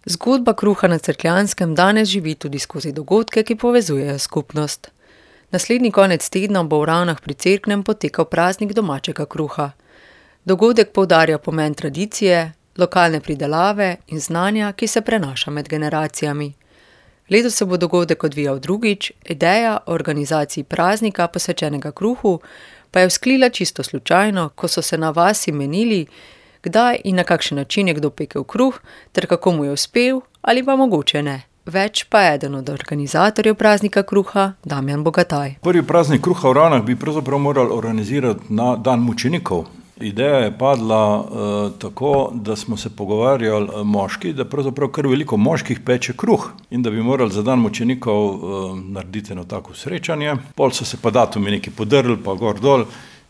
Zgodba kruha na Cerkljanskem danes živi tudi skozi dogodke, ki povezujejo skupnost. Naslednji konec tedna bo v Ravnah pri Cerknem potekal praznik domačega kruha. Dogodek poudarja pomen tradicije, lokalne pridelave in znanja, ki se prenaša med generacijami. Letos se bo dogodek odvijal drugič, ideja o organizaciji praznika posvečenega kruhu pa je vzklila čisto slučajno, ko so se na vasi menili, kdaj in na kakšen način je kdo pekel kruh, ter kako mu je uspel ali pa mogoče ne. Več pa je eden od organizatorjev praznika kruha, Damjan Bogataj. Prvi praznik kruha v Ravnah bi pravzaprav morali organizirati na dan mučenikov. Ideja je padla tako, da smo se pogovarjali moški, da pravzaprav kar veliko moških peče kruh in da bi morali za dan mučenikov narediti eno tako srečanje. Pol so se pa datumi neki podrli, pa gor dol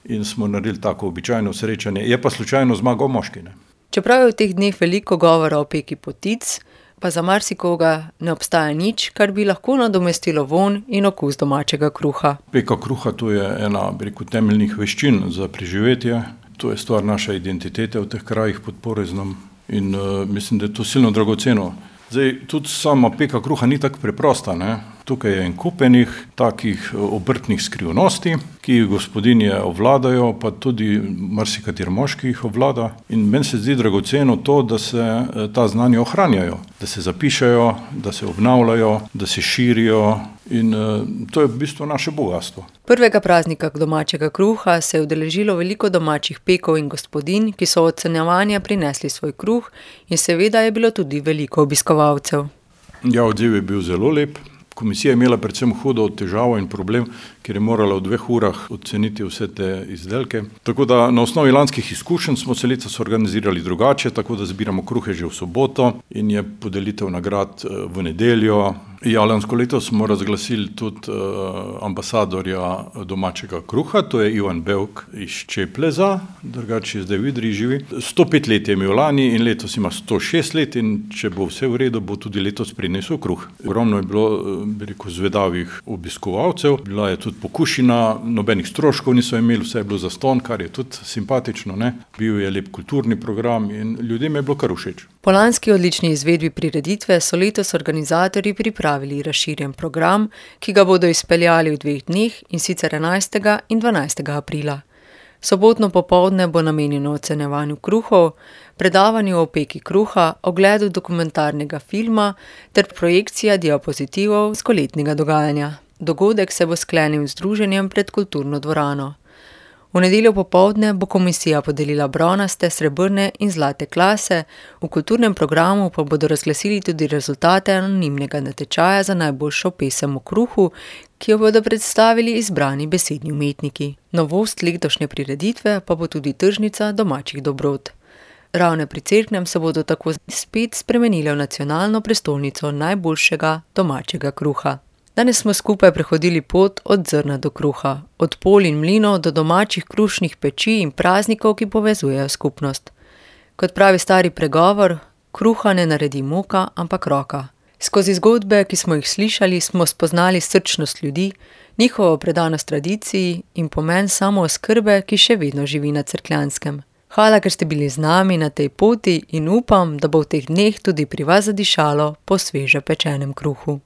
in smo naredili tako običajno srečanje. Je pa slučajno zmagal moški, ne. Čeprav je v teh dneh veliko govora o peki potic, pa za marsikoga ne obstaja nič, kar bi lahko nadomestilo vonj in okus domačega kruha. Peka kruha, to je ena, temeljnih veščin za preživetje. To je stvar naše identitete v teh krajih pod Poreznom in mislim, da je to silno dragoceno. Zdaj, tudi sama peka kruha ni tako preprosta, ne. Tukaj je en kup enih takih obrtnih skrivnosti, ki jih gospodinje obvladajo, pa tudi marsikateri moški jih obvlada. In meni se zdi dragoceno to, da se ta znanja ohranjajo, da se zapišejo, da se obnavljajo, da se širijo in to je v bistvu naše bogastvo. Prvega praznika domačega kruha se je udeležilo veliko domačih pekov in gospodinj, ki so od ocenjevanja prinesli svoj kruh in seveda je bilo tudi veliko obiskovalcev. Ja, odziv je bil zelo lep. Komisija je imela predvsem hudo težavo in problem, ker je morala v 2 urah oceniti vse te izdelke. Tako da na osnovi lanskih izkušenj smo se letos organizirali drugače, tako da zbiramo kruhe že v soboto in je podelitev nagrad v nedeljo. Ja, lansko leto smo razglasili tudi ambasadorja domačega kruha, to je Ivan Bevk iz Čepleza, drugače je zdaj v Idriji živi. 105 let je imel lani in letos ima 106 let in če bo vse v redu, bo tudi letos prinesel kruh. Ogromno je bilo, zvedavih obiskovalcev, bila je tudi pokušina, nobenih stroškov niso imeli, vse je bilo zastonj, kar je tudi simpatično, ne. Bil je lep kulturni program in ljudem je bilo kar všeč. Po lanski odlični izvedbi prireditve so letos organizatorji pripravili razširjen program, ki ga bodo izpeljali v 2 dneh, in sicer 11. in 12. aprila. Sobotno popoldne bo namenjeno ocenjevanju kruhov, predavanju o peki kruha, ogledu dokumentarnega filma ter projekcija diapozitivov s poletnega dogajanja. Dogodek se bo sklenil z druženjem pred kulturno dvorano. V nedeljo popoldne bo komisija podelila bronaste, srebrne in zlate klase, v kulturnem programu pa bodo razglasili tudi rezultate anonimnega natečaja za najboljšo pesem o kruhu, ki jo bodo predstavili izbrani besedni umetniki. Novost letošnje prireditve pa bo tudi tržnica domačih dobrot. Ravne pri Cerknem se bodo tako spet spremenile v nacionalno prestolnico najboljšega domačega kruha. Danes smo skupaj prehodili pot od zrna do kruha, od polj in mlinov do domačih krušnih peči in praznikov, ki povezujejo skupnost. Kot pravi stari pregovor, kruha ne naredi moka, ampak roka. Skozi zgodbe, ki smo jih slišali, smo spoznali srčnost ljudi, njihovo predanost tradiciji in pomen samooskrbe, ki še vedno živi na Cerkljanskem. Hvala, ker ste bili z nami na tej poti in upam, da bo v teh dneh tudi pri vas zadišalo po sveže pečenem kruhu.